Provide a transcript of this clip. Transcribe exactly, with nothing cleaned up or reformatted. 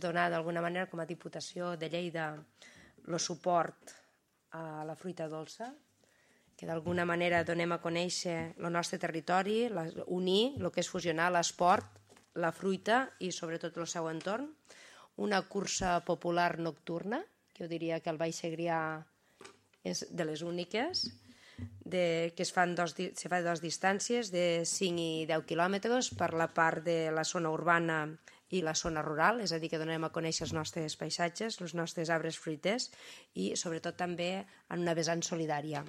donar d'alguna manera com a Diputació de Lleida el suport a la fruita dolça, que d'alguna manera donem a conèixer el nostre territori, unir el que és fusionar l'esport, la fruita i sobretot el seu entorn. Una cursa popular nocturna, que jo diria que al Baix Segrià és de les úniques, de, que es fan dos, se fa dos distàncies de cinc i deu quilòmetres per la part de la zona urbana i la zona rural, és a dir, que donem a conèixer els nostres paisatges, els nostres arbres fruiters i sobretot també en una vessant solidària.